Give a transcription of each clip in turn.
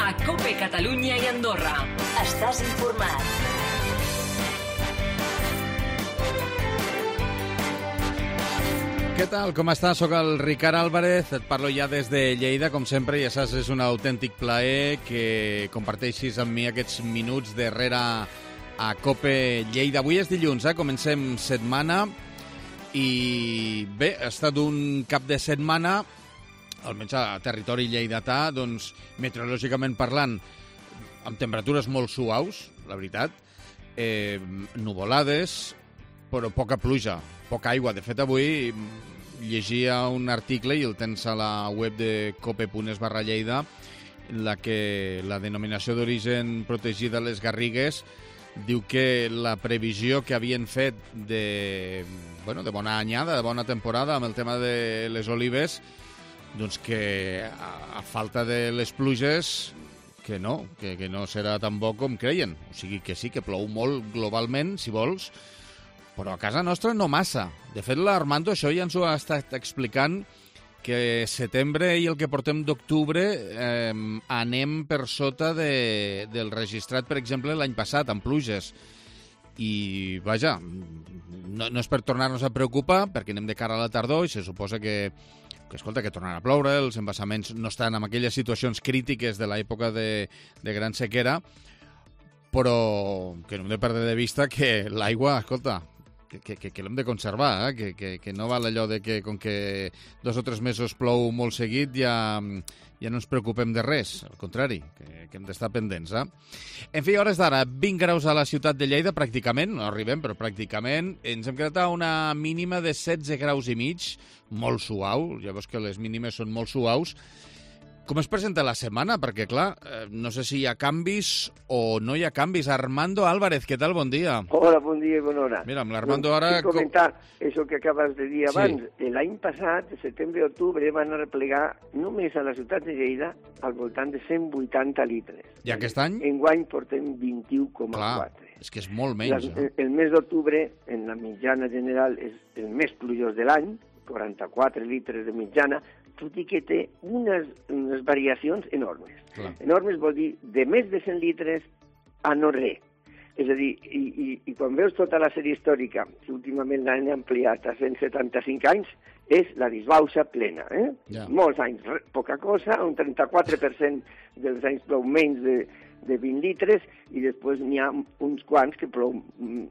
a COPE Catalunya i Andorra. Estàs informat. Què tal? Com estàs? Soc el Ricard Álvarez, et parlo ja des de Lleida, com sempre, ja saps, és un autèntic plaer que comparteixis amb mi aquests minuts darrere a COPE Lleida. Avui és dilluns, comencem setmana i bé, ha estat un cap de setmana, almenys a territori lleidatà, doncs, meteorològicament parlant, amb temperatures molt suaus, la veritat, nuvolades, però poca pluja, poca aigua. De fet, avui llegia un article, i el tens a la web de cope.es/Lleida, en la que la denominació d'origen protegida Les Garrigues diu que la previsió que havien fet de bona anyada, de bona temporada amb el tema de les olives, doncs que a falta de les pluges que no serà tan bo com creien. O sigui que sí, que plou molt globalment, si vols, però a casa nostra no massa. De fet, l'Armando això ja ens ho ha estat explicant, que setembre i el que portem d'octubre anem per sota del registrat, per exemple, l'any passat, amb pluges. I, vaja, no és per tornar-nos a preocupar, perquè anem de cara a la tardor i se suposa que tornarà a ploure, els embassaments no estan en aquelles situacions crítiques de l'època de gran sequera, però que no hem de perdre de vista que l'aigua, escolta, que l'hem de conservar, que no val allò de que com que 2 o 3 mesos plou molt seguit ja no ens preocupem de res, al contrari, que hem d'estar pendents. En fi, a hores d'ara, 20 graus a la ciutat de Lleida, pràcticament, no arribem, però pràcticament, ens hem quedat a una mínima de 16 graus i mig, molt suau, ja veus que les mínimes són molt suaus. Com es presenta la setmana? Perquè, clar, no sé si hi ha canvis o no hi ha canvis. Armando Álvarez, què tal? Bon dia. Hola, bon dia i bona hora. Mira, amb l'Armando ara... comentar això que acabes de dir abans. Sí. L'any passat, de setembre i octubre, van replegar només a la ciutat de Lleida al voltant de 180 litres. I aquest any? Enguany portem 21,4. Clar, és que és molt menys. El mes d'octubre, en la mitjana general, és el més plujós de l'any, 44 litres de mitjana, tot i que té unes variacions enormes. Clar. Enormes vol dir de més de 100 litres a no res. És a dir, i quan veus tota la sèrie històrica, que últimament l'han ampliat a 175 anys, és la disbauxa plena. Ja. Molts anys, poca cosa, un 34% dels anys plou menys de 20 litres, i després n'hi ha uns quants que plou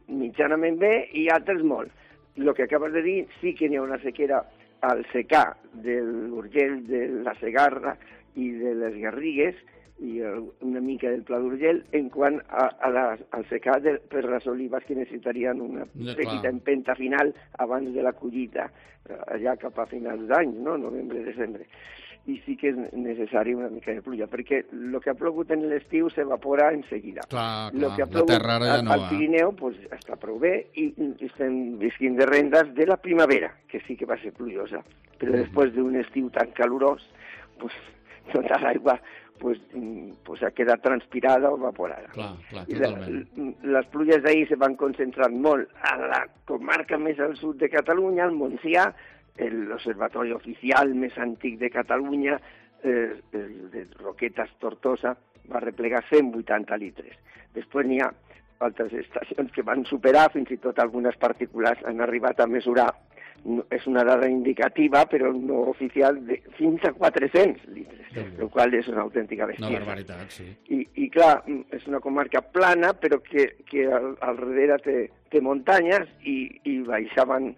mitjanament bé i altres molt. El que acabes de dir, sí que n'hi ha una sequera al secà de l'Urgell, de la Segarra i de les Garrigues, i una mica del Pla d'Urgell, en quant al secà per les olives, que necessitarien una petita empenta final abans de la collita, allà cap a finals d'any, no? Novembre, desembre. I sí que és necessari una mica de pluja, perquè el que ha plogut en l'estiu s'evapora en seguida. Clar, El que ha plogut al Pirineu pues, està prou bé, i estem visquint de rendes de la primavera, que sí que va ser plujosa. Però després d'un estiu tan calorós, pues, tota l'aigua ha quedat transpirada o evaporada. Clar, totalment. Les pluges d'ahir se van concentrar molt a la comarca més al sud de Catalunya, al Montsià, l'observatori oficial més antic de Catalunya, el de Roquetes Tortosa, va replegar 180 litres. Després n'hi ha altres estacions que van superar, fins i tot algunes particulars han arribat a mesurar, és una dada indicativa, però no oficial, fins a 400 litres, el qual és una autèntica bestiesa. Una barbaritat, sí. I clar, és una comarca plana, però que al darrere té muntanyes, i baixaven,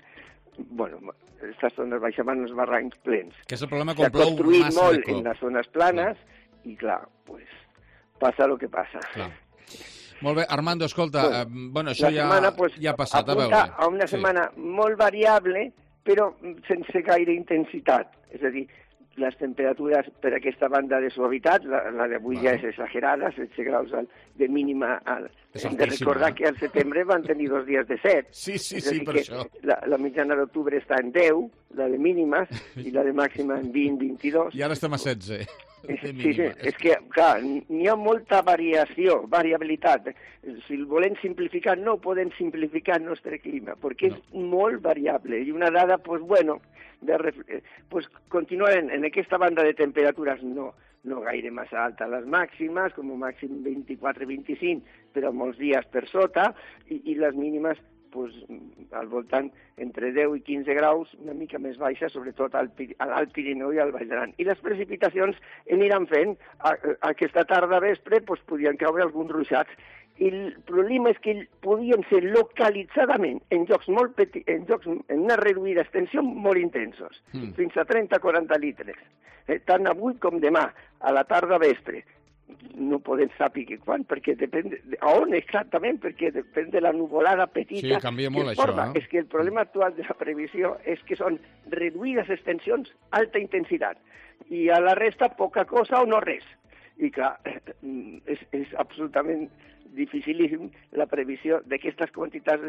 aquestes zones baixaven els barrancs plens. Que és el problema quan plou massa de cop. S'ha construït molt en les zones planes, i clar, passa el que passa. Clar. Molt bé, Armando, escolta, això ja ha passat, a veure. Apunta a una setmana molt variable, però sense gaire intensitat. És a dir, les temperatures per aquesta banda de suavitat, la d'avui ja és exagerada, 16 graus de mínima. Hem de recordar que al setembre van tenir 2 dies de 7. Sí, per això. La mitjana d'octubre està en 10, la de mínimes, i la de màxima en 20, 22. I ara estem a 16. Sí, és que, clar, n'hi ha molta variabilitat. Si el volem simplificar, no podem simplificar el nostre clima, perquè és molt variable. I una dada, continuar en aquesta banda de temperatures no no gaire massa alta les màximes, com a màxim 24-25, però molts dies per sota, i les mínimes pues, al voltant entre 10 i 15 graus, una mica més baixa, sobretot a l'Alt Pirineu i al Baix d'Aran. I les precipitacions aniran fent. Aquesta tarda vespre pues, podien caure alguns ruixats. I el problema és que podien ser localitzadament en llocs molt petits, en una reduïda extensió molt intensos, fins a 30-40 litres. Tant avui com demà, a la tarda vespre. No podem saber quan, perquè depèn on exactament, perquè depèn de la nuvolada petita. Sí, canvia molt això. És que el problema actual de la previsió és que són reduïdes extensions, alta intensitat, i a la resta poca cosa o no res. I clar, és absolutament dificilíssim la previsió d'aquestes quantitats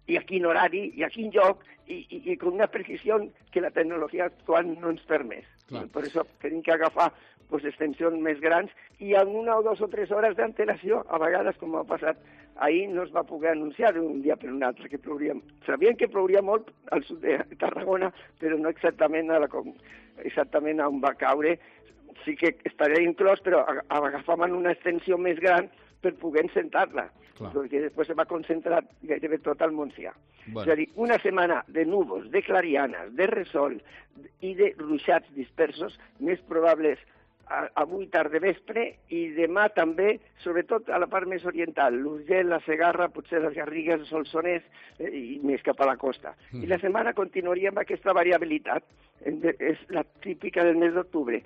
i a quin horari, i a quin lloc, i amb una precisió que la tecnologia actual no ens permet. Per això tenim que agafar extensions més grans i amb 1 o 2 o 3 hores d'antelació, a vegades, com ha passat ahir, no es va poder anunciar d'un dia per un altre que plouria. Sabien que plouria molt al sud de Tarragona, però no exactament a on va caure. Sí que estaria inclòs, però agafaven una extensió més gran per poder encentar-la, perquè després se va concentrar gairebé tot al Montsià. Bueno. És a dir, una setmana de núvols, de clarianes, de resol i de ruixats dispersos, més probables avui tarda vespre i demà també, sobretot a la part més oriental, l'Urgell, la Segarra, potser les Garrigues, el Solsonès i més cap a la costa. I la setmana continuaria amb aquesta variabilitat. És la típica del mes d'octubre.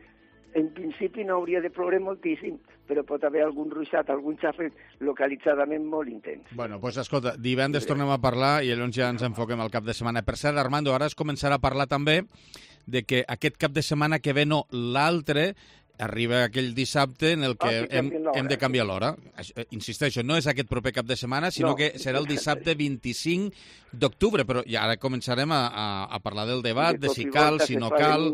En principi no hauria de ploure moltíssim, però pot haver algun ruixat, algun xafet localitzadament molt intens. Bueno, doncs escolta, divendres tornem a parlar i llavors ja ens enfoquem al cap de setmana. Per cert, Armando, ara es començarà a parlar també de que aquest cap de setmana que ve, no, l'altre, arriba aquell dissabte en el que hem de canviar l'hora. Insisteixo, no és aquest proper cap de setmana, sinó que serà el dissabte 25 d'octubre, però ja ara començarem a parlar del debat, de si cal, si no cal,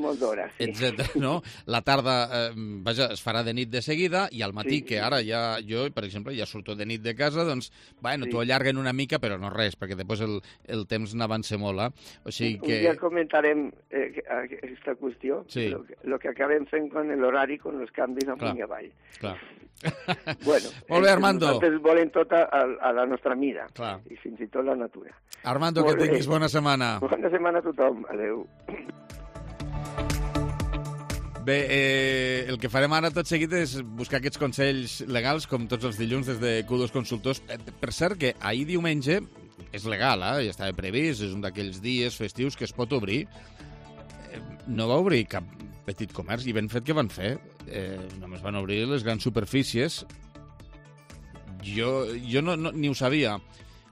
etc. No? La tarda, vaja, es farà de nit de seguida, i al matí, que ara ja jo, per exemple, ja surto de nit de casa, doncs, bueno, t'ho allarguen una mica, però no res, perquè després el temps n'avança molt, O sigui que... Un dia comentarem aquesta qüestió, el que acabem fent amb l'horari, con els canvis amunt i avall. Clar. Bueno, molt bé, Armando. Nosaltres volem tot a la nostra mida, clar, i fins i tot la natura. Armando, que tinguis bona setmana. Bona setmana a tothom. Adéu. Bé, el que farem ara tot seguit és buscar aquests consells legals, com tots els dilluns, des de Q2 Consultors. Per cert, que ahir diumenge és legal, ja estava previst, és un d'aquells dies festius que es pot obrir. No va obrir cap petit comerç, i ben fet que van fer. Només van obrir les grans superfícies. Jo no, ni ho sabia.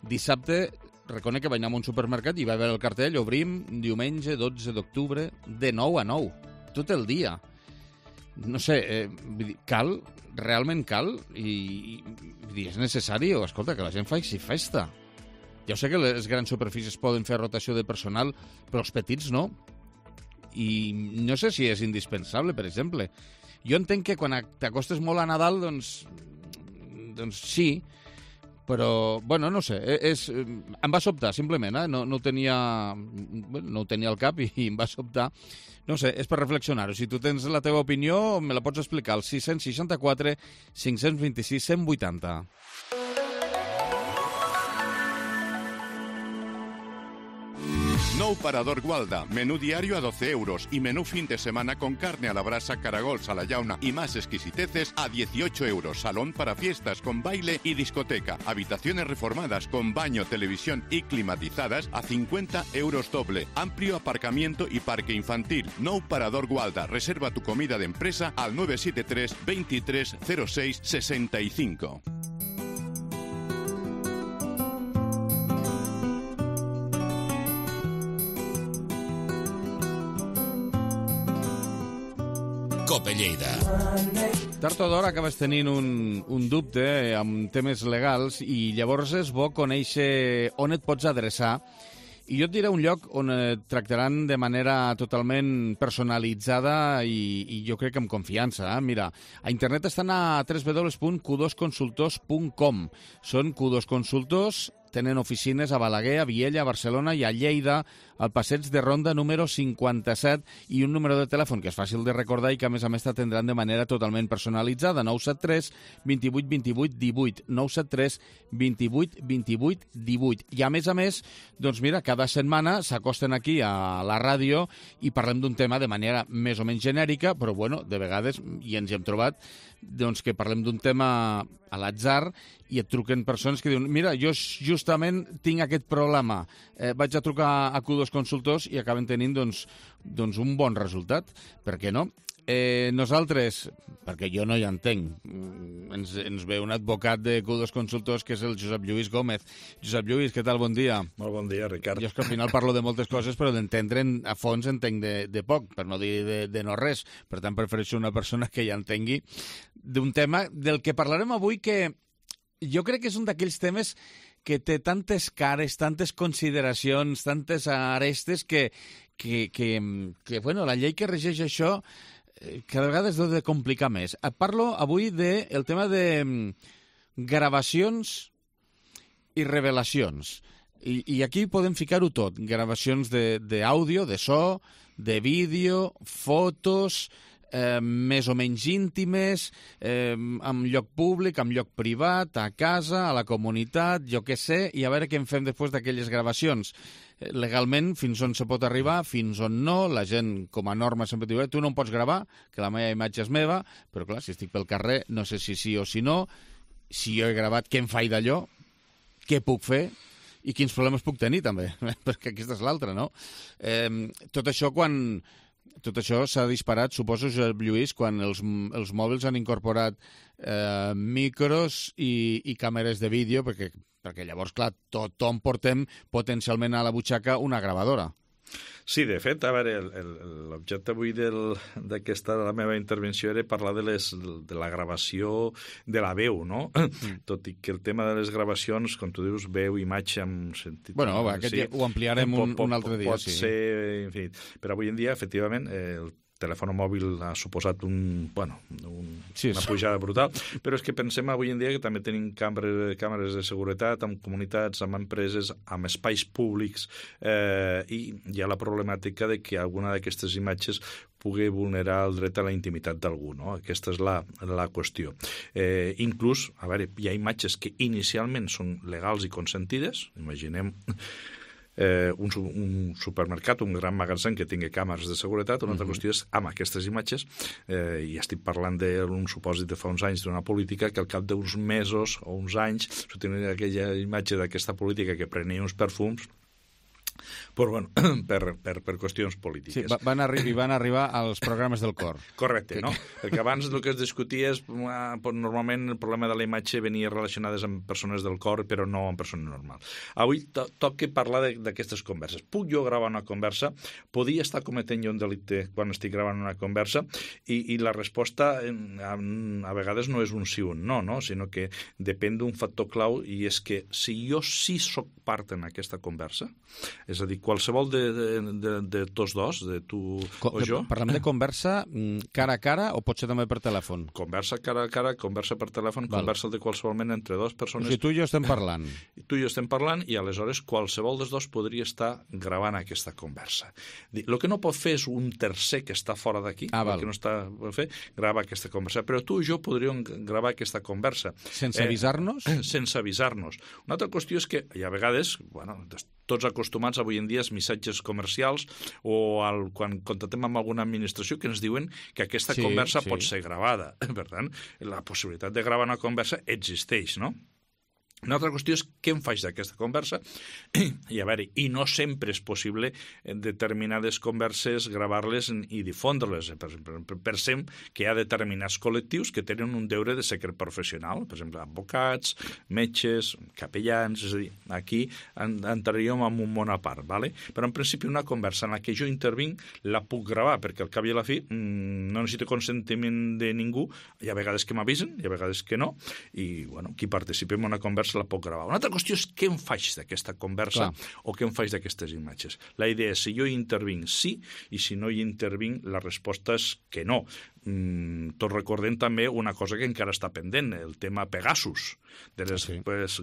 Dissabte, reconec que vaig anar a un supermercat i va veure el cartell, obrim diumenge 12 d'octubre de 9 a 9, tot el dia. No sé, cal? Realment cal? I és necessari? O, escolta, que la gent faci festa. Ja sé que les grans superfícies poden fer rotació de personal, però els petits no. I no sé si és indispensable, per exemple. Jo entenc que quan t'acostes molt a Nadal, doncs sí, però, bueno, no sé, em va sobtar, simplement, no ho tenia al cap i em va sobtar. No sé, és per reflexionar-ho. Si tu tens la teva opinió, me la pots explicar al 664 526 180. Nou Parador Gualda, menú diario a 12 euros y menú fin de semana con carne a la brasa, caragols a la llauna y más exquisiteces a 18 euros. Salón para fiestas con baile y discoteca. Habitaciones reformadas con baño, televisión y climatizadas a 50 euros doble. Amplio aparcamiento y parque infantil. Nou Parador Gualda. Reserva tu comida de empresa al 973 23 06 65. Cope Lleida. Tard o d'hora acabes tenint un dubte amb temes legals i llavors és bo conèixer on et pots adreçar. I jo et diré un lloc on et tractaran de manera totalment personalitzada i jo crec que amb confiança. Mira, a internet estan a www.q2consultors.com. Són Q2 Consultors tenen oficines a Balaguer, a Viella, a Barcelona i a Lleida, al passeig de Ronda número 57, i un número de telèfon que és fàcil de recordar i que a més t'atendran de manera totalment personalitzada, 973 28 28 18, 973 28 28 18. I a més, doncs mira, cada setmana s'acosten aquí a la ràdio i parlem d'un tema de manera més o menys genèrica, però bueno, de vegades, i ens hi hem trobat, doncs que parlem d'un tema a l'atzar i et truquen persones que diuen mira, jo justament tinc aquest problema, vaig a trucar a Q2 Consultors i acaben tenint doncs un bon resultat. Per què no? Nosaltres, perquè jo no hi entenc, ens ve un advocat de Q2 Consultors que és el Josep Lluís Gómez. Josep Lluís, què tal? Bon dia. Molt bon dia, Ricard. Jo és que al final parlo de moltes coses, però d'entendre a fons entenc de poc, per no dir de no res. Per tant, prefereixo una persona que ja entengui d'un tema del que parlarem avui, que jo crec que és un d'aquells temes que té tantes cares, tantes consideracions, tantes arestes que bueno, la llei que regeix això cada vegada es deu de complicar més. Parlo avui del tema de gravacions i revelacions. I aquí podem ficar-ho tot. Gravacions d'àudio, de so, de vídeo, fotos, més o menys íntimes, en lloc públic, en lloc privat, a casa, a la comunitat, jo què sé, i a veure què en fem després d'aquelles gravacions. Legalment, fins on se pot arribar, fins on no. La gent, com a norma, sempre diu tu no em pots gravar, que la meva imatge és meva, però clar, si estic pel carrer, no sé si sí o si no. Si jo he gravat, què em faig d'allò? Què puc fer? I quins problemes puc tenir, també? Perquè aquesta és l'altra, no? Tot això s'ha disparat, suposo, Josep Lluís, quan els mòbils han incorporat micros i càmeres de vídeo, perquè llavors, clar, tothom portem potencialment a la butxaca una gravadora. Sí, de fet, a veure, l'objecte avui d'aquesta la meva intervenció era parlar de la gravació de la veu, no? Tot i que el tema de les gravacions, com tu dius, veu, imatge, en sentit... Bueno, aquest ho ampliarem un altre dia, sí. Pot ser infinit. Però avui en dia, efectivament, el telèfon mòbil ha suposat una pujada brutal, però és que pensem avui en dia que també tenim càmeres de seguretat amb comunitats, amb empreses, amb espais públics, i hi ha la problemàtica de que alguna d'aquestes imatges pugui vulnerar el dret a la intimitat d'algú, no? Aquesta és la qüestió. Inclús, a veure, hi ha imatges que inicialment són legals i consentides, imaginem un supermercat, un gran magatzem que tingui càmeres de seguretat. Una altra qüestió és amb aquestes imatges, i estic parlant d'un supòsit de fa uns anys d'una política que al cap d'uns mesos o uns anys s'utilitza aquella imatge d'aquesta política que prenia uns perfums, però bueno, per qüestions polítiques. Sí, van arribar als programes del cor. Correcte, no? Perquè abans el que es discutia és, normalment el problema de la imatge venia relacionades amb persones del cor, però no amb persones normals. Avui toca parlar d'aquestes converses. Puc jo gravar una conversa? Podria estar cometent jo un delicte quan estic gravant una conversa? I la resposta a vegades no és un sí o un no, sinó que depèn d'un factor clau, i és que si jo sí soc part en aquesta conversa, és a dir, qualsevol de tots dos, de tu o jo... Parlem de conversa cara a cara o pot ser també per telèfon? Conversa cara a cara, conversa per telèfon, conversa de qualsevol mena entre dues persones... O sigui, tu i jo estem parlant. Tu i jo estem parlant, i aleshores qualsevol dels dos podria estar gravant aquesta conversa. El que no pot fer és un tercer que està fora d'aquí, el que no està per fer, grava aquesta conversa. Però tu i jo podríem gravar aquesta conversa. Sense avisar-nos? Sense avisar-nos. Una altra qüestió és que hi ha vegades, tots acostumats avui en dia als missatges comercials o quan contactem amb alguna administració que ens diuen que aquesta conversa pot ser gravada. Per tant, la possibilitat de gravar una conversa existeix, no? Una altra qüestió és què em faig d'aquesta conversa, i a veure, i no sempre és possible determinades converses gravar-les i difondre-les. Per exemple, pensem que hi ha determinats col·lectius que tenen un deure de secret professional, per exemple, advocats, metges, capellans, és a dir, aquí entraríem en un món a part, ¿vale? Però en principi una conversa en la que jo intervinc la puc gravar, perquè al cap i a la fi no necessito consentiment de ningú, hi ha vegades que m'avisen, hi ha vegades que no, i bueno, qui participi en una conversa la puc gravar. Una altra qüestió és què em faig d'aquesta conversa o què em faig d'aquestes imatges. La idea és si jo hi intervinc sí, i si no hi intervinc la resposta és que no. tot recordem també una cosa que encara està pendent, el tema Pegasus, de les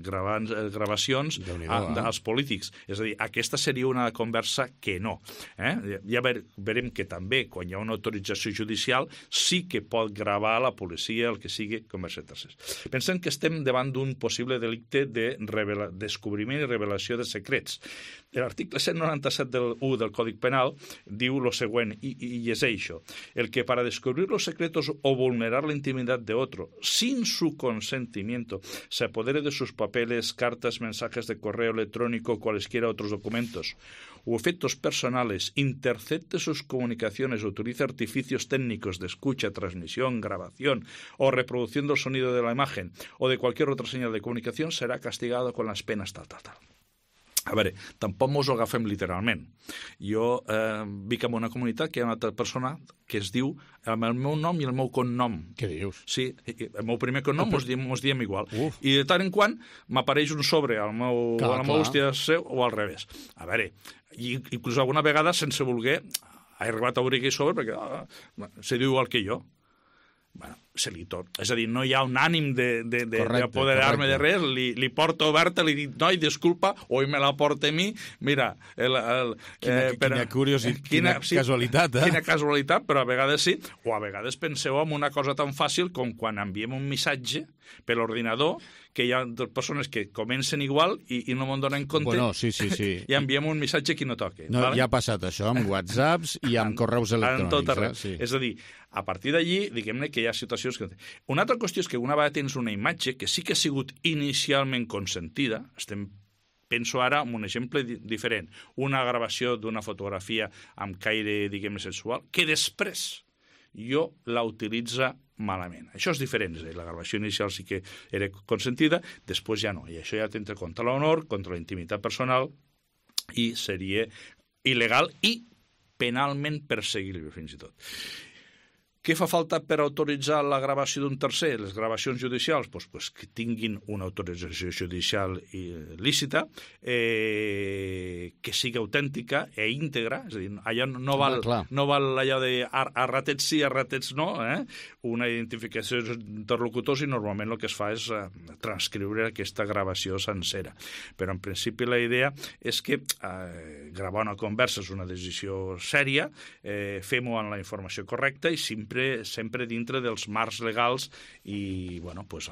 gravacions dels polítics. És a dir, aquesta seria una conversa que no. Ja veurem que també, quan hi ha una autorització judicial, sí que pot gravar la policia, el que sigui, conversa tercers. Pensem que estem davant d'un possible delicte de descobriment i revelació de secrets. L'article 197 del Código Penal diu lo següent, y es això, el que para descubrir los secretos o vulnerar la intimidad de otro sin su consentimiento se apodere de sus papeles, cartas, mensajes de correo electrónico o cualesquiera otros documentos o efectos personales, intercepte sus comunicaciones, utilice artificios técnicos de escucha, transmisión, grabación o reproducción del sonido de la imagen o de cualquier otra señal de comunicación, será castigado con las penas tal. A veure, tampoc mos ho agafem literalment. Jo vic en una comunitat que hi ha una altra persona que es diu amb el meu nom i el meu cognom. Què dius? Sí, el meu primer cognom mos diem igual. I de tant en quant m'apareix un sobre a la meva hòstia seu o al revés. A veure, inclús alguna vegada, sense voler, he arribat a obrir aquell sobre perquè se diu igual que jo. Bueno, se li tot. És a dir, no hi ha un ànim d'apoderar-me de res, li porto oberta, li dic, noi, disculpa, oi me la porta a mi, mira... Quina casualitat, Quina casualitat, però a vegades sí, o a vegades penseu en una cosa tan fàcil com quan enviem un missatge per l'ordinador, que hi ha persones que comencen igual i no me'n donen compte. Bueno, sí. I enviem un missatge que no toque. No, ja ha passat això amb WhatsApps i amb correus electrònics. En tot arreu. És a dir, a partir d'allí, diguem-ne que hi ha situacions que... Una altra qüestió és que una vegada tens una imatge que sí que ha sigut inicialment consentida, penso ara en un exemple diferent, una gravació d'una fotografia amb caire, diguem-ne, sexual, que després jo la utilitza malament. Això és diferent, és a dir, la gravació inicial sí que era consentida, després ja no, i això ja t'entra contra l'honor, contra la intimitat personal, i seria il·legal i penalment perseguible, fins i tot. Què fa falta per autoritzar la gravació d'un tercer? Les gravacions judicials, doncs que tinguin una autorització judicial lícita, que sigui autèntica i íntegra, és a dir, allò no val allò de a ratets sí, a ratets no, una identificació d'interlocutors i normalment el que es fa és transcriure aquesta gravació sencera. Però en principi la idea és que gravar una conversa és una decisió sèria, fem-ho amb la informació correcta i sempre dintre dels marcs legals i, bueno, pues,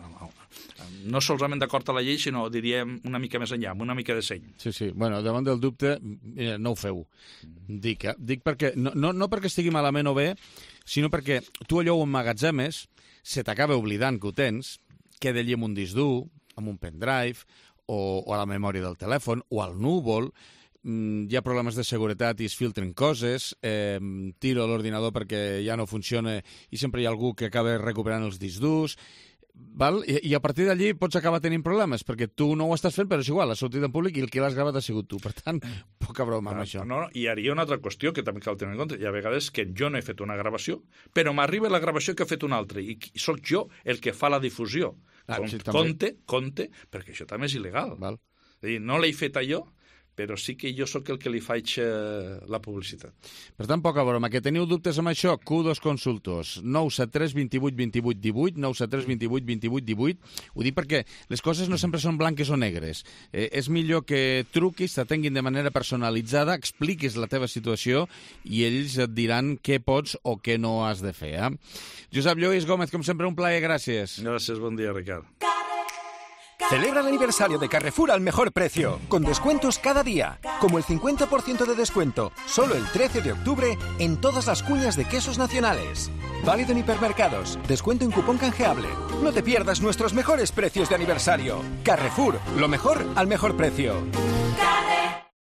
no solament d'acord a la llei, sinó, diríem, una mica més enllà, amb una mica de seny. Sí. Bueno, davant del dubte, no ho feu. Dic perquè, no perquè estigui malament o bé, sinó perquè tu allò ho emmagatzemes, se t'acaba oblidant que ho tens, queda allí amb un disc dur, amb un pendrive, o a la memòria del telèfon, o al núvol, hi ha problemes de seguretat i es filtren coses, tiro l'ordinador perquè ja no funciona i sempre hi ha algú que acaba recuperant els discs durs, i a partir d'allí pots acabar tenint problemes, perquè tu no ho estàs fent, però és igual, has sortit en públic i el que l'has gravat ha sigut tu. Per tant, poca broma amb això. No, i hi ha una altra qüestió que també cal tenir en compte. Hi ha vegades que jo no he fet una gravació, però m'arriba la gravació que ha fet un altre, i sóc jo el que fa la difusió. Compte, perquè això també és il·legal. És a dir, no l'he fet allò, però sí que jo sóc el que li faig la publicitat. Per tant, poca broma. Que teniu dubtes amb això? Q2 Consultors. 973 28 28 18, 973 28 28 18. Ho dic perquè les coses no sempre són blanques o negres. És millor que truquis, t'atenguin de manera personalitzada, expliquis la teva situació i ells et diran què pots o què no has de fer. Josep Lluís Gómez, com sempre, un plaer. Gràcies. Gràcies, bon dia, Ricard. Celebra el aniversario de Carrefour al mejor precio, con descuentos cada día, como el 50% de descuento, solo el 13 de octubre, en todas las cuñas de quesos nacionales. Válido en hipermercados, descuento en cupón canjeable. No te pierdas nuestros mejores precios de aniversario. Carrefour, lo mejor al mejor precio.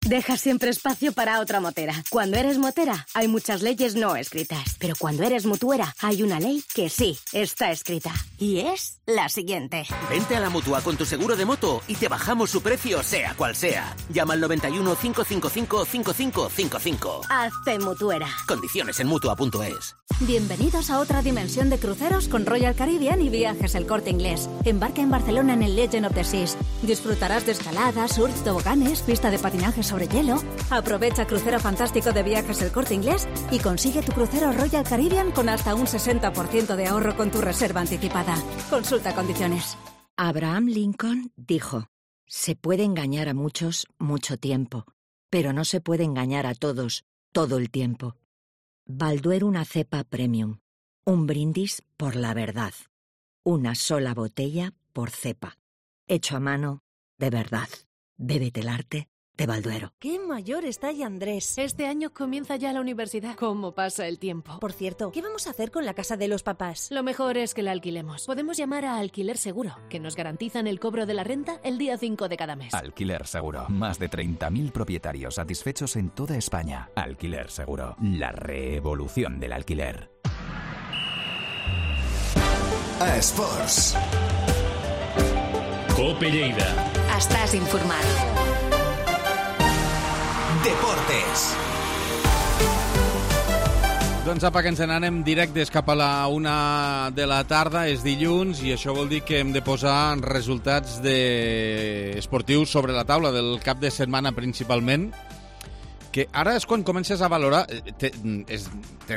Deja siempre espacio para otra motera. Cuando eres motera, hay muchas leyes no escritas. Pero cuando eres mutuera, hay una ley que sí está escrita. Y es la siguiente. Vente a la Mutua con tu seguro de moto y te bajamos su precio, sea cual sea. Llama al 91 555 5555. Hazte mutuera. Condiciones en Mutua.es. Bienvenidos a otra dimensión de cruceros con Royal Caribbean y Viajes El Corte Inglés. Embarca en Barcelona en el Legend of the Seas. Disfrutarás de escaladas, surf, toboganes, pista de patinaje sobre sobre hielo, aprovecha Crucero Fantástico de Viajes El Corte Inglés y consigue tu crucero Royal Caribbean con hasta un 60% de ahorro con tu reserva anticipada. Consulta condiciones. Abraham Lincoln dijo: se puede engañar a muchos mucho tiempo, pero no se puede engañar a todos todo el tiempo. Balduero, una cepa premium. Un brindis por la verdad. Una sola botella por cepa. Hecho a mano, de verdad. Bébete el arte de Balduero. ¡Qué mayor está ya Andrés! Este año comienza ya la universidad. ¿Cómo pasa el tiempo? Por cierto, ¿qué vamos a hacer con la casa de los papás? Lo mejor es que la alquilemos. Podemos llamar a Alquiler Seguro, que nos garantizan el cobro de la renta el día 5 de cada mes. Alquiler Seguro. Más de 30.000 propietarios satisfechos en toda España. Alquiler Seguro. La revolución del alquiler. A Esports. Cope Lleida. Estàs informat. Deportes. Doncs apa, que ens n'anem directes cap a la 1 de la tarda, és dilluns, i això vol dir que hem de posar resultats esportius sobre la taula del cap de setmana principalment, que ara és quan comences a valorar... Té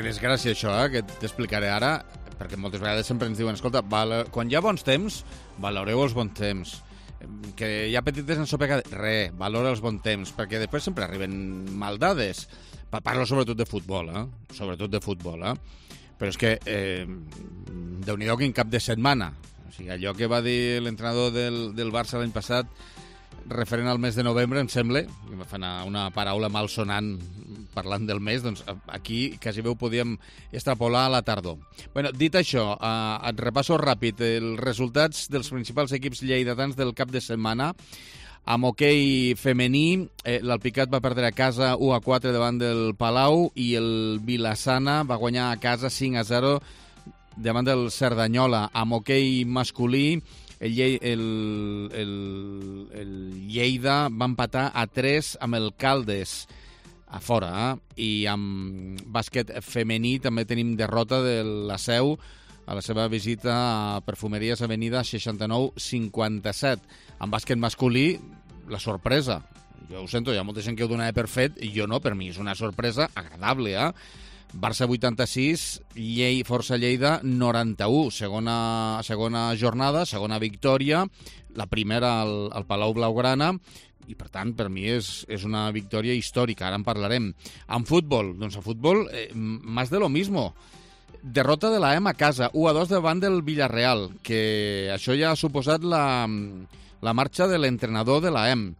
desgràcia això, que t'explicaré ara, perquè moltes vegades sempre ens diuen, escolta, quan hi ha bons temps, valoreu els bons temps. Que hi ha petites ensopegades, valora els bons temps, perquè després sempre arriben maldades. Parlo sobretot de futbol, sobretot de futbol, però és que Déu-n'hi-do quin cap de setmana. O sigui, allò que va dir l'entrenador del Barça l'any passat referent al mes de novembre, em sembla, que em fa una paraula malsonant parlant del mes, doncs aquí quasi bé ho podíem extrapolar a la tardor. Bueno, dit això, et repasso ràpid els resultats dels principals equips lleidatans del cap de setmana. Amb hoquei femení, l'Alpicat va perdre a casa 1-4 davant del Palau i el Vilassana va guanyar a casa 5-0 davant del Cerdanyola. Amb hoquei masculí, el Lleida va empatar a 3 amb el Caldes a fora, i amb bàsquet femení també tenim derrota de la Seu a la seva visita a Perfumeries Avenida 69-57. En bàsquet masculí, la sorpresa. Jo ho sento, hi ha molta gent que ho donava per fet, i jo no, per mi és una sorpresa agradable, Barça 86, Força Lleida 91, segona jornada, segona victòria, la primera al Palau Blaugrana, i per tant per mi és una victòria històrica, ara en parlarem. En futbol, doncs a futbol, más de lo mismo. Derrota de la EM a casa, 1-2 davant del Villarreal, que això ja ha suposat la marxa de l'entrenador de la EM.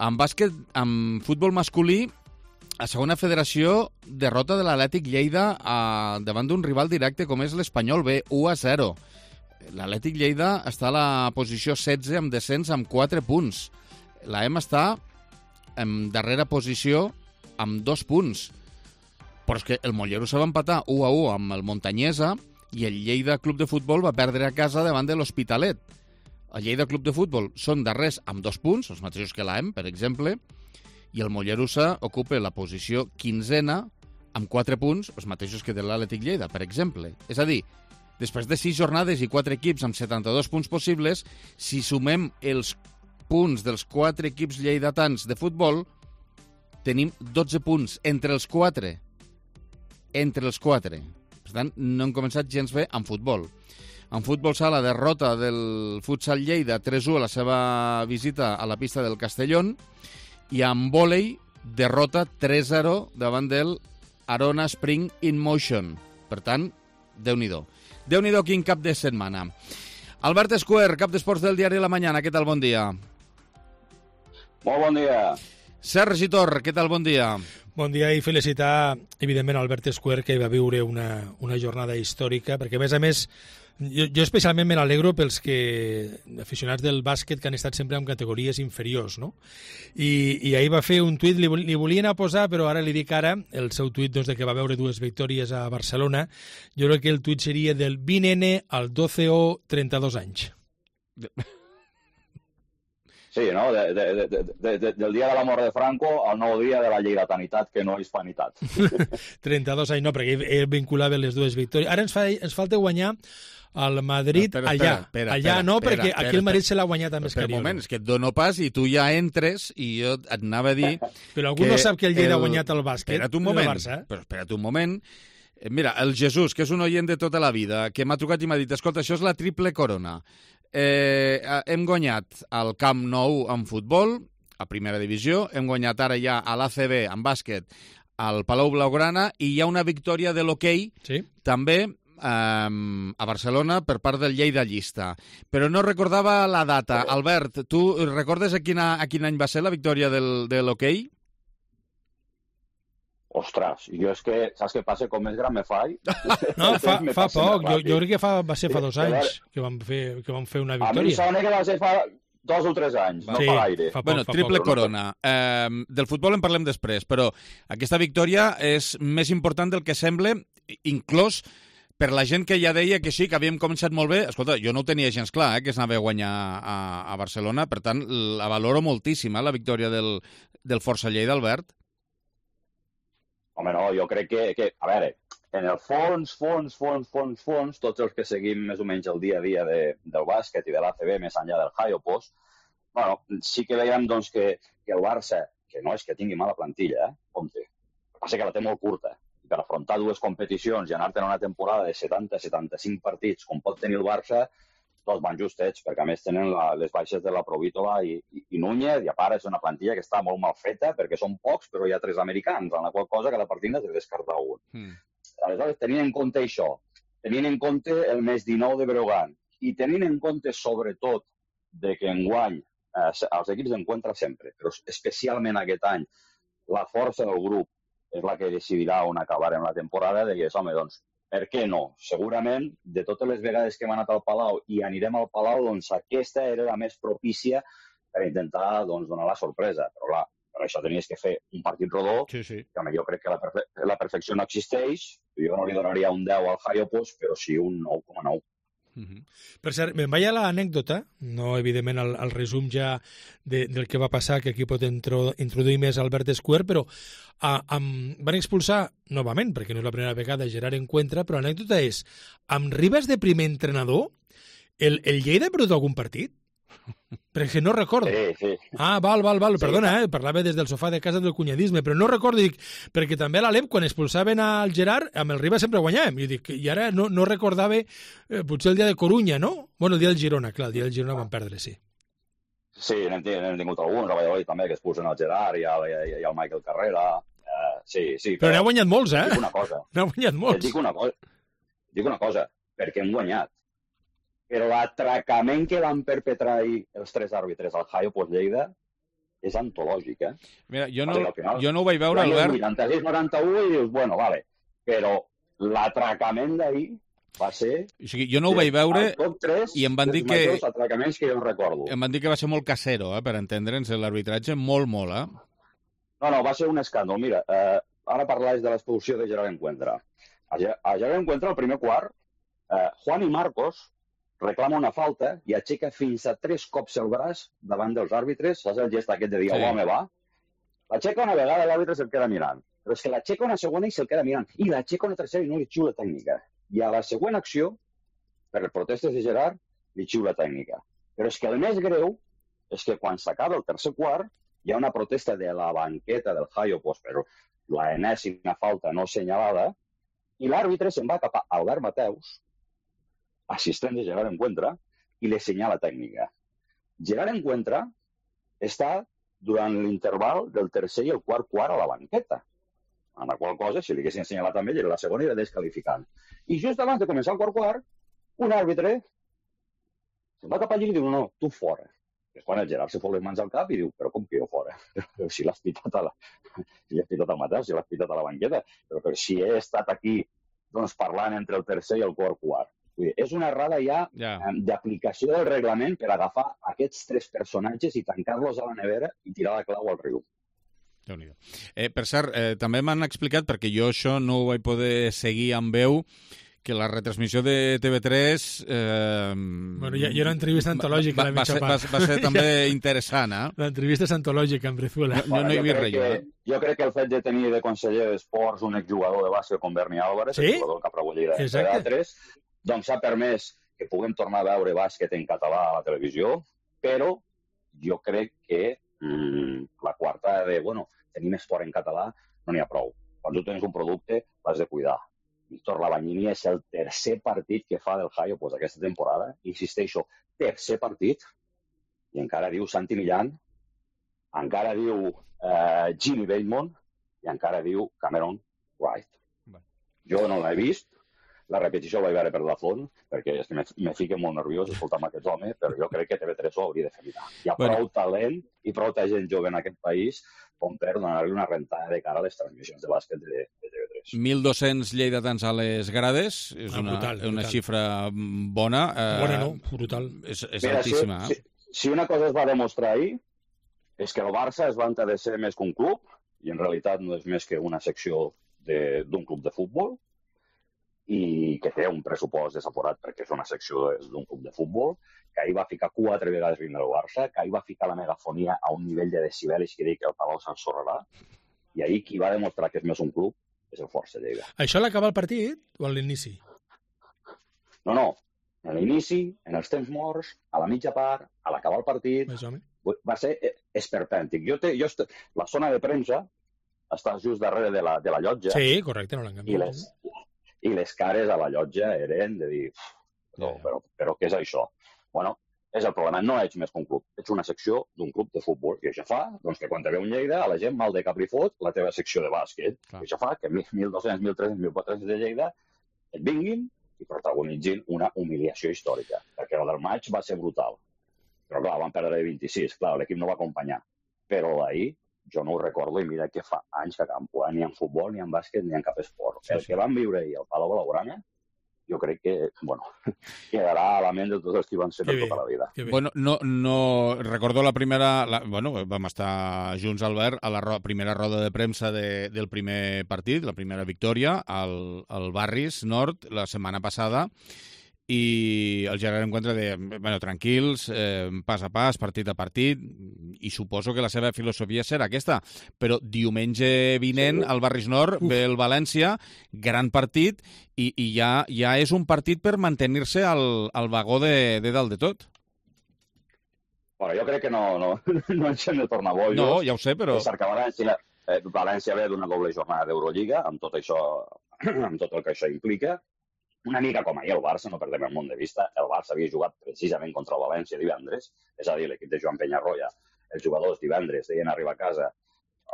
En bàsquet, en futbol masculí, a segona federació, derrota de l'Atlètic Lleida davant d'un rival directe com és l'Espanyol B, 1-0. L'Atlètic Lleida està a la posició 16 amb descens amb 4 punts. La EM està en darrera posició amb 2 punts. Però és que el Mollerussa va empatar 1-1 amb el Montanyesa i el Lleida Club de Futbol va perdre a casa davant de l'Hospitalet. El Lleida Club de Futbol són darrers amb 2 punts, els mateixos que la EM, per exemple, i el Mollerussa ocupa la posició 15a amb 4 punts, els mateixos que de l'Atlètic Lleida, per exemple. És a dir, després de 6 jornades i 4 equips amb 72 punts possibles, si sumem els punts dels 4 equips lleidatans de futbol, tenim 12 punts entre els 4. Entre els 4. Per tant, no hem començat gens bé en futbol. En futbol sala, derrota del Futsal Lleida 3-1 a la seva visita a la pista del Castellón, i en vòlei, derrota 3-0 davant del Arona Spring in Motion. Per tant, Déu-n'hi-do. Déu-n'hi-do quin cap de setmana. Albert Escuer, cap d'esports del diari La Mañana, què tal, bon dia? Molt bon dia. Sergi Tor, què tal, bon dia? Bon dia i felicitar, evidentment, Albert Escuer, que va viure una jornada històrica, perquè, a més, jo especialment me n'alegro pels aficionats del bàsquet que han estat sempre en categories inferiors, no? I ahir va fer un tuit, li volien posar, però ara li dic el seu tuit de que va veure 2 victòries a Barcelona. Jo crec que el tuit seria del 20N al 12O, 32 anys. Sí, no? Del dia de la mort de Franco al nou dia de la lleidatanitat, que no és fanitat. 32 anys, no, perquè ell vinculava les 2 victòries. Ara ens falta guanyar al Madrid allà. Allà no, perquè aquí el Madrid se l'ha guanyat amb Escariolo. Per un moment, és que et dono pas i tu ja entres i jo et anava a dir... Però algú no sap que el Lleida ha guanyat el bàsquet. Espera't un moment. Mira, el Jesús, que és un oient de tota la vida, que m'ha trucat i m'ha dit, escolta, això és la triple corona. Hem guanyat al Camp Nou en futbol, a primera divisió, hem guanyat ara ja a l'ACB en bàsquet al Palau Blaugrana i hi ha una victòria de l'hoquei també a Barcelona per part del Lleida Llista. Però no recordava la data. Albert, tu recordes a quin any va ser la victòria de l'hoquei? Ostres, jo és que, saps què passa? Com més gran me faig... No, fa poc. Jo crec que va ser fa 2 anys que vam fer una victòria. A mi sona que va ser fa 2 o 3 anys, no fa gaire. Bueno, triple corona. Del futbol en parlem després, però aquesta victòria és més important del que sembla, inclús per la gent que ja deia que sí, que havíem començat molt bé. Escolta, jo no ho tenia gens clar, que s'anava a guanyar a Barcelona, per tant, la valoro moltíssim, la victòria del Força Lleida, Albert. Home, no, jo crec que, a veure, en el fons, tots els que seguim més o menys el dia a dia del bàsquet i de l'ACB, més enllà del Hayopos, bueno, sí que veiem doncs, que el Barça, que no és que tingui mala plantilla, compte, el que passa que la té molt curta, i per afrontar 2 competicions i anar-te'n a una temporada de 70-75 partits, com pot tenir el Barça, tots van justets, perquè a més tenen les baixes de la Provítola i Núñez, i a part és una plantilla que està molt mal feta, perquè són pocs, però hi ha 3 americans, en la qual cosa cada partit has de descartar un. Aleshores, tenint en compte això, tenint en compte el mes 19 de Breogán, i tenint en compte, sobretot, de que enguany els equips d'encuentra sempre, però especialment aquest any, la força del grup és la que decidirà on acabar en la temporada, de que, home, doncs, per què no? Segurament, de totes les vegades que hem anat al Palau i anirem al Palau, doncs aquesta era la més propícia per intentar donar la sorpresa. Però clar, per això tenies que fer un partit rodó, que jo crec que la perfecció no existeix. Jo no li donaria un 10 al Hayopos, però sí un 9,9. Per cert, me'n vaig a l'anècdota, no evidentment al resum ja del que va passar, que aquí pot introduir més Albert Escuer, però van expulsar novament, perquè no és la primera vegada, Gerard Encuentra, però l'anècdota és, amb Ribas de primer entrenador, el Lleida ha perdut algun partit? Perquè no recordo. Sí. Val. Perdona, parlava des del sofà de casa del cunyadisme, però no recordo, dic, perquè també a l'Alep, quan expulsaven al Gerard, amb el Ribas sempre guanyàvem. I ara no recordava, potser el dia de Corunya, no? Bueno, el dia del Girona, clar, el dia del Girona van perdre, sí. Sí, n'hem tingut alguns, a Valladolid també, que expulsen al Gerard i al Michael Carrera. Sí. Però n'ha guanyat molts, Dic una cosa. N'ha guanyat molts. Dic una cosa, perquè hem guanyat. Però l'atracament que van perpetrar ahir els 3 àrbitres al Hayopos Lleida és antològic, Mira, jo no ho vaig veure, Albert. 86-91 i dius, bueno, vale, però l'atracament d'ahir va ser... O sigui, jo no ho vaig veure i em van dir que... Els atracaments que jo recordo. Em van dir que va ser molt casero, per entendre'ns, l'arbitratge, molt, No, va ser un escàndol. Mira, ara parlaves de l'expulsió de Gerard Encuentra. A Gerard Encuentra, al primer quart, Juan i Marcos reclama una falta i aixeca fins a 3 cops el braç davant dels àrbitres, saps el gest aquest de dir, home, va? L'aixeca una vegada i l'àrbitre se'l queda mirant, però és que l'aixeca una segona i se'l queda mirant, i l'aixeca una tercera i no li xiula tècnica. I a la següent acció, per les protestes de Gerard, li xiula tècnica. Però és que el més greu és que quan s'acaba el tercer quart, hi ha una protesta de la banqueta del Hayopos, però l'enèsima falta no assenyalada, i l'àrbitre se'n va cap a Albert Mateus, assistent de Gerard Encuentra, i li assenyala tècnica. Gerard Encuentra està durant l'interval del tercer i el quart a la banqueta, en la qual cosa, si li haguessin assenyalat també, la segona era descalificant. I just abans de començar el quart, un àrbitre se'n va cap allí i diu, no, tu fora. És quan el Gerard se fot les mans al cap i diu, però com que jo fora? Però si l'has pitat al Mateu, si l'has pitat a la banqueta, però si he estat aquí parlant entre el tercer i el quart. És una errada ja d'aplicació del reglament per agafar aquests 3 personatges i tancar-los a la nevera i tirar la clau al riu. Per cert, també m'han explicat, perquè jo això no ho vaig poder seguir amb veu, que la retransmissió de TV3... Bueno, hi ha una entrevista antològica a la mitja part. Va ser també interessant, L'entrevista és antològica amb Brizuela. Jo crec que el fet de tenir de conseller d'esports un exjugador de bàsquet com Berni Álvarez, el jugador que ha pregut Lleida de 3, doncs s'ha permès que puguem tornar a veure bàsquet en català a la televisió, però jo crec que la quarta de, tenim esport en català, no n'hi ha prou. Quan tu tens un producte, l'has de cuidar. Víctor Labanyini és el tercer partit que fa del Hayo aquesta temporada. Insisteixo, tercer partit, i encara diu Santi Millán, encara diu Jimmy Bateman i encara diu Cameron Wright. Jo no l'he vist, la repetició la vaig veure per la font, perquè és que me fica molt nerviós escoltar aquests homes, però jo crec que TV3 ho hauria de fer mirar. Hi ha prou talent i prou gent jove en aquest país com per donar-li una rentada de cara a les transmissions de bàsquet de TV3. 1.200 lleidatans a les grades, és una xifra bona. Bona no, brutal. És altíssima. Si una cosa es va demostrar ahir, és que el Barça es vanta de ser més que un club, i en realitat no és més que una secció d'un club de futbol, i que té un pressupost desaforat perquè és una secció d'un club de futbol, que ahir va ficar 4 vegades l'himne del Barça, que ahir va ficar la megafonia a un nivell de decibelis que dic que el Palau s'ensorrarà, i ahir qui va demostrar que és més un club és el Força Lleida. Això l'acabar el partit o a l'inici? No. A l'inici, en els temps morts, a la mitja part, a l'acabar el partit, va ser esperpèntic. La zona de premsa està just darrere de la llotja. Sí, correcte, no l'han canviat. I les cares a la llotja eren de dir, però què és això? Bueno, és el problema. No ets més que un club, ets una secció d'un club de futbol. I això fa que quan te ve un Lleida, a la gent mal de cap li fot la teva secció de bàsquet. I això fa que 1.200, 1.300, 1.400 de Lleida et vinguin i protagonitzin una humiliació històrica. Perquè el del maig va ser brutal. Però clar, van perdre de 26. Clar, l'equip no va acompanyar. Però d'ahir jo no ho recordo i mira que fa anys que a Campo ni en futbol, ni en bàsquet, ni en cap esport. El que van viure ahir al Palau Blaugrana, jo crec que, quedarà a la ment de tots els que van ser per tota la vida. Bueno, no recordo la primera... vam estar junts, Albert, a la primera roda de premsa del primer partit, la primera victòria, al Barris Nord, la setmana passada, i el Gerard Encuentra de, tranquils, pas a pas, partit a partit, i suposo que la seva filosofia serà aquesta. Però diumenge vinent, al Barris Nord, ve el València, gran partit, i ja és un partit per mantenir-se al vagó de dalt de tot. Bueno, jo crec que no ens hem de tornar bojos. No, ja ho sé, però... València ve d'una doble jornada d'Eurolliga, amb tot el que això implica. Una mica com ahir el Barça, no perdem el món de vista, el Barça havia jugat precisament contra el València divendres, és a dir, l'equip de Joan Penyarroia, els jugadors divendres deien arribar a casa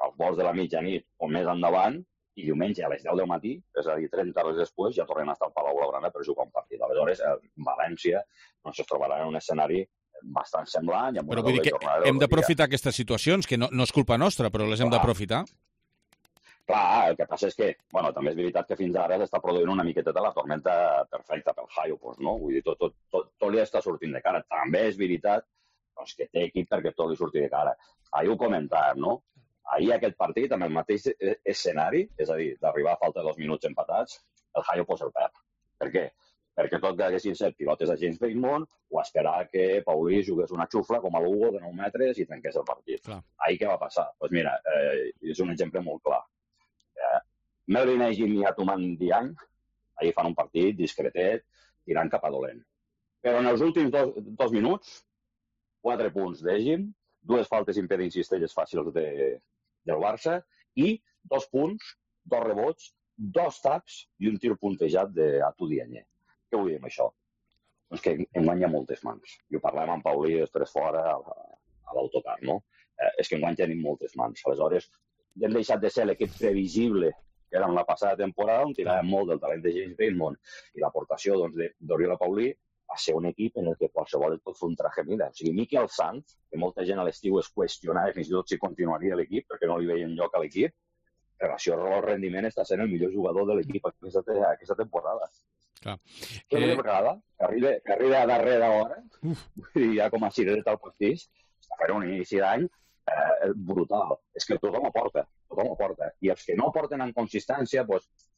als volts de la mitjanit o més endavant, i diumenge a les 10 del matí, és a dir, 30 hores després, ja tornen a estar al Palau Blaugrana per jugar un partit. Aleshores, València es trobarà en un escenari bastant semblant. Però vull dir que hem d'aprofitar aquestes situacions, que no és culpa nostra, però les hem d'aprofitar. Clar, el que passa és que, també és veritat que fins ara s'està produint una miqueta de la tormenta perfecta pel Hayo, no? Vull dir, tot li està sortint de cara. També és veritat que té equip perquè tot li surti de cara. Ahir ho comentàvem, no? Ahir aquest partit, amb el mateix escenari, és a dir, d'arribar a falta de 2 minuts empatats, el Hayo el perd. Per què? Perquè tot que haguessin set pilotes de James Bateman o esperar que Paulí jugués una xufla com a l'Hugo de 9 metres i trenqués el partit. Ahir què va passar? Doncs mira, és un exemple molt clar. Melvin Egin i Atuman Diang ahir fan un partit discretet tirant cap a dolent. Però en els últims 2 minuts, 4 punts d'Egin, 2 faltes impedint cistelles fàcils del Barça i 2 punts, 2 rebots, 2 taps i un tir puntejat d'Atu Diagne. Què vull dir amb això? Doncs que enguany hi ha moltes mans. I ho parlem amb Paulí després fora a l'autocar, no? És que enguany tenim moltes mans. Aleshores, hem deixat de ser l'equip previsible que era en la passada temporada, on tiràvem molt del talent de James Bateman i l'aportació d'Oriol Paulí, a ser un equip en el que qualsevol et pot fer un traje mida. O sigui, Miquel Sanz, que molta gent a l'estiu es qüestionava fins i tot si continuaria l'equip, perquè no li veien lloc a l'equip, en relació al rendiment està sent el millor jugador de l'equip aquesta temporada. Que una vegada, que arriba a darrera hora, i ja com a cirereta al pastís, està fent un inici d'any brutal. És que tothom aporta. I els que no aporten en consistència,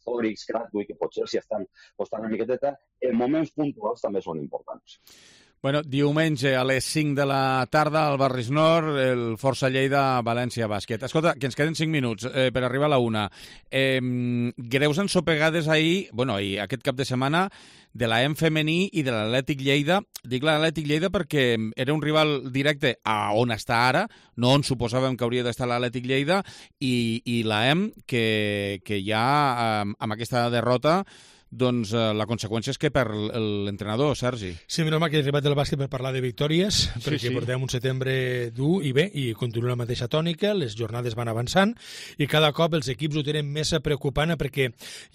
Zorix, Kratwig, que potser s'hi estan costant una miqueteta, en moments puntuals també són importants. Bueno, diumenge a les 5 de la tarda al Barris Nord, el Força Lleida València Bàsquet. Escolta, que ens queden 5 minuts per arribar a la 1. Greus ensopegades ahir, aquest cap de setmana, de l'AEM femení i de l'Atlètic Lleida. Dic l'Atlètic Lleida perquè era un rival directe a on està ara, no on suposàvem que hauria d'estar l'Atlètic Lleida, i l'AEM, que ja amb aquesta derrota doncs la conseqüència és que per l'entrenador, Sergi. Sí, menys mal que he arribat del bàsquet per parlar de victòries, perquè portem un setembre dur i bé, i continua la mateixa tònica, les jornades van avançant, i cada cop els equips ho tenen més preocupant, perquè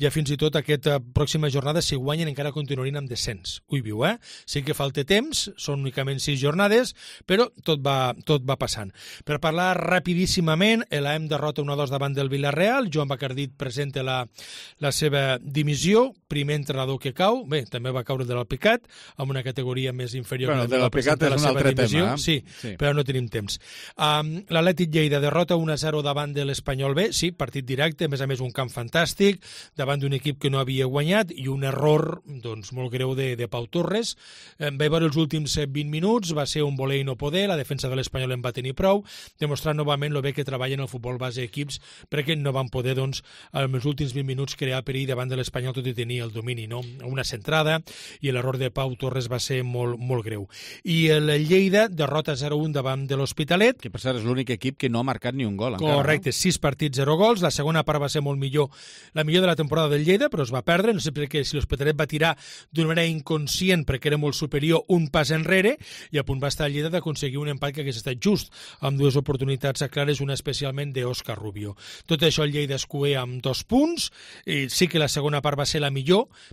ja fins i tot aquesta pròxima jornada, si guanyen, encara continuarien amb descens. Ui, viu, Sí que falta temps, són únicament 6 jornades, però tot va passant. Per parlar rapidíssimament, l'AEM derrota 1-2 davant del Villarreal, Joan Bacardit presenta la seva dimissió, primer entrenador que cau, bé, també va caure de l'Alpicat, amb una categoria més inferior. Bueno, de l'Alpicat és un altre tema. Sí, però no tenim temps. L'Atlètic Lleida derrota 1-0 davant de l'Espanyol B, sí, partit directe, a més un camp fantàstic, davant d'un equip que no havia guanyat, i un error doncs, molt greu de Pau Torres. Vaig veure els últims 20 minuts, va ser un voler i no poder, la defensa de l'Espanyol en va tenir prou, demostrant novament lo bé que treballen el futbol base equips, perquè no van poder, doncs, en els últims 20 minuts crear perill davant de l'Espanyol, tot i tenir el domini, no? Una centrada, i l'error de Pau Torres va ser molt, molt greu. I el Lleida derrota 0-1 davant de l'Hospitalet. Que per cert és l'únic equip que no ha marcat ni un gol encara. Correcte, 6 partits, 0 gols. La segona part va ser molt millor, la millor de la temporada del Lleida, però es va perdre. No sé per què, si l'Hospitalet va tirar d'una manera inconscient perquè era molt superior un pas enrere, i a punt va estar el Lleida d'aconseguir un empat que hagués estat just, amb 2 oportunitats clares, una especialment d'Òscar Rubio. Tot això el Lleida es cuea amb 2 punts, i sí que la segona part va ser la millor,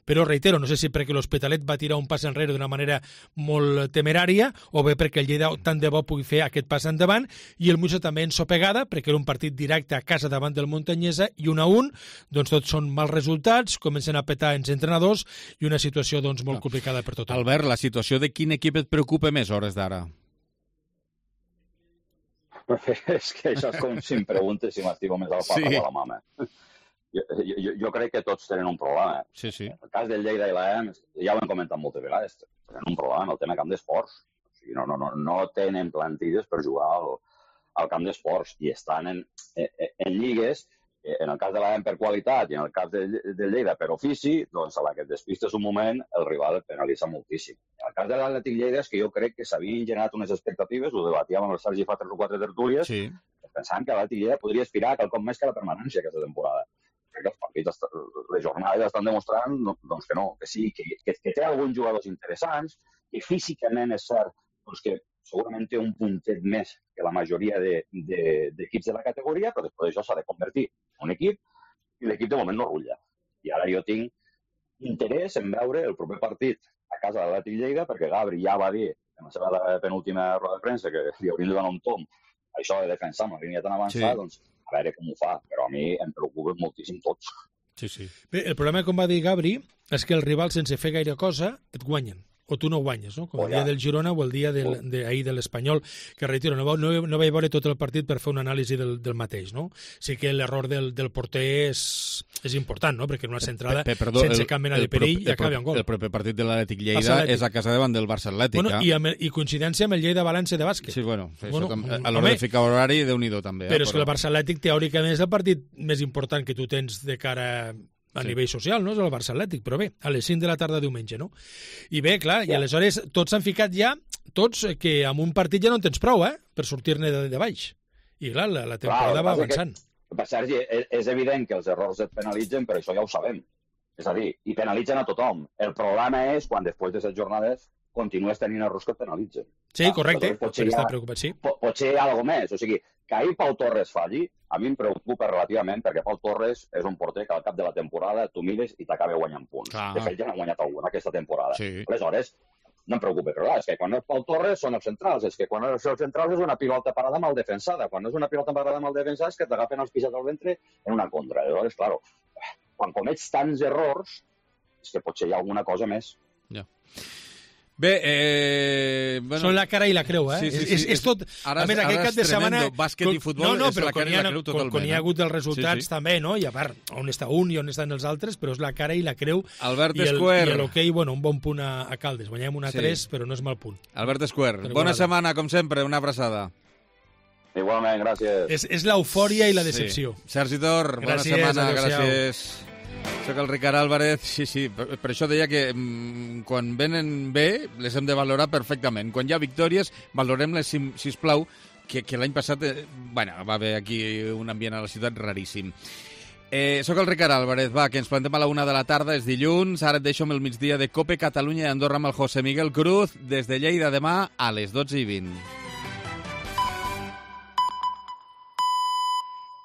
però reitero, no sé si perquè l'Hospitalet va tirar un pas enrere d'una manera molt temerària, o bé perquè el Lleida tant de bo pugui fer aquest pas endavant, i el Musa també ensopegada, perquè era un partit directe a casa davant del Montanyesa, i 1-1, doncs tots són mals resultats, comencen a petar els entrenadors, i una situació doncs molt complicada per tothom. Albert, la situació de quin equip et preocupa més a hores d'ara? És que això és com si em preguntes si m'estimo més al papa o a la mama. Jo crec que tots tenen un problema. Sí. El cas del Lleida i l'AEM, ja ho hem comentat moltes vegades, tenen un problema en el tema camp d'esports. O sigui, no tenen plantilles per jugar al camp d'esports i estan en lligues, en el cas de l'AEM per qualitat i en el cas del Lleida per ofici, doncs a la que et despistes un moment el rival et penalitza moltíssim. En el cas de l'Atlètic Lleida és que jo crec que s'havien generat unes expectatives, ho debatíem amb el Sergi fa 3 o 4 tertúlies, pensant que l'Atlètic Lleida podria aspirar a quelcom més que la permanència aquesta temporada. Que els partits, les jornades estan demostrant doncs que no, que sí, que té alguns jugadors interessants, que físicament és cert doncs que segurament té un puntet més que la majoria d'equips de la categoria, però després això s'ha de convertir en un equip i l'equip de moment no rutlla. I ara jo tinc interès en veure el proper partit a casa de l'Atlètic Lleida, perquè Gabri ja va dir en la seva penúltima roda de premsa que li haurien de donar un tom això de defensar amb la línia tan avançada, doncs a veure com ho fa, però a mi em preocupa moltíssim tots. Sí. Bé, el problema, com va dir Gabri, és que els rivals, sense fer gaire cosa, et guanyen. O tu no guanyes, no? Com el dia del Girona o el dia d'ahir de l'Espanyol, que reitero, no vaig veure tot el partit per fer una anàlisi del mateix, no? Sí que l'error del porter és important, no? Perquè en una centrada, sense cap mena de perill, ja acaba en gol. El proper partit de l'Atlètic Lleida és a casa davant del Barça Atlètic. Bueno, i coincidència amb el Lleida València de bàsquet. Sí, bueno, a l'hora de ficar horari, Déu-n'hi-do també. Però és que el Barça Atlètic, teòricament, és el partit més important que tu tens de cara a nivell social, no? És el Barça Atlètic, però bé, a les 5 de la tarda diumenge, no? I bé, clar, i aleshores tots s'han ficat ja, que amb un partit ja no en tens prou, per sortir-ne de baix. I clar, la temporada va avançant. Sergi, és evident que els errors et penalitzen, però això ja ho sabem. És a dir, i penalitzen a tothom. El problema és quan després de 7 jornades continues tenint errors que et penalitzen. Sí, correcte, potser està preocupat, sí. Potser hi ha alguna més, o sigui, que ahir Pau Torres falli, a mi em preocupa relativament, perquè Pau Torres és un porter que al cap de la temporada tu mires i t'acaba guanyant punts. De fet, ja n'ha guanyat alguna aquesta temporada. Aleshores, no em preocupa, però clar, és que quan és Pau Torres són els centrals, és que quan és els centrals és una pilota parada mal defensada, quan és una pilota parada mal defensada és que t'agafen els pixats al ventre en una contra. Aleshores, clar, quan comets tants errors, és que potser hi ha alguna cosa més. Ja. Bé, bueno... Són la cara i la creu, eh? Sí. És tot... Ara, a més, aquest cap de setmana... Bàsquet i futbol és la cara i la creu totalment. Quan hi ha hagut els resultats també, no? I a part, on està un i on estan els altres, però és la cara i la creu. Albert Esquer. I l'hoquei, bueno, un bon punt a Caldes. Guanyem 1-3, però no és mal punt. Albert Esquer, bona setmana, com sempre, una abraçada. Igualment, gràcies. És l'eufòria i la decepció. Sergi Tor, bona setmana, gràcies. Soc el Ricard Álvarez, sí, per això deia que quan venen bé les hem de valorar perfectament. Quan hi ha victòries, valorem-les, sisplau, que l'any passat va haver aquí un ambient a la ciutat raríssim. Soc el Ricard Álvarez, que ens plantem a la 1 de la tarda, és dilluns, ara et deixo amb el migdia de COPE Catalunya i Andorra amb el José Miguel Cruz, des de Lleida demà a les 12:20.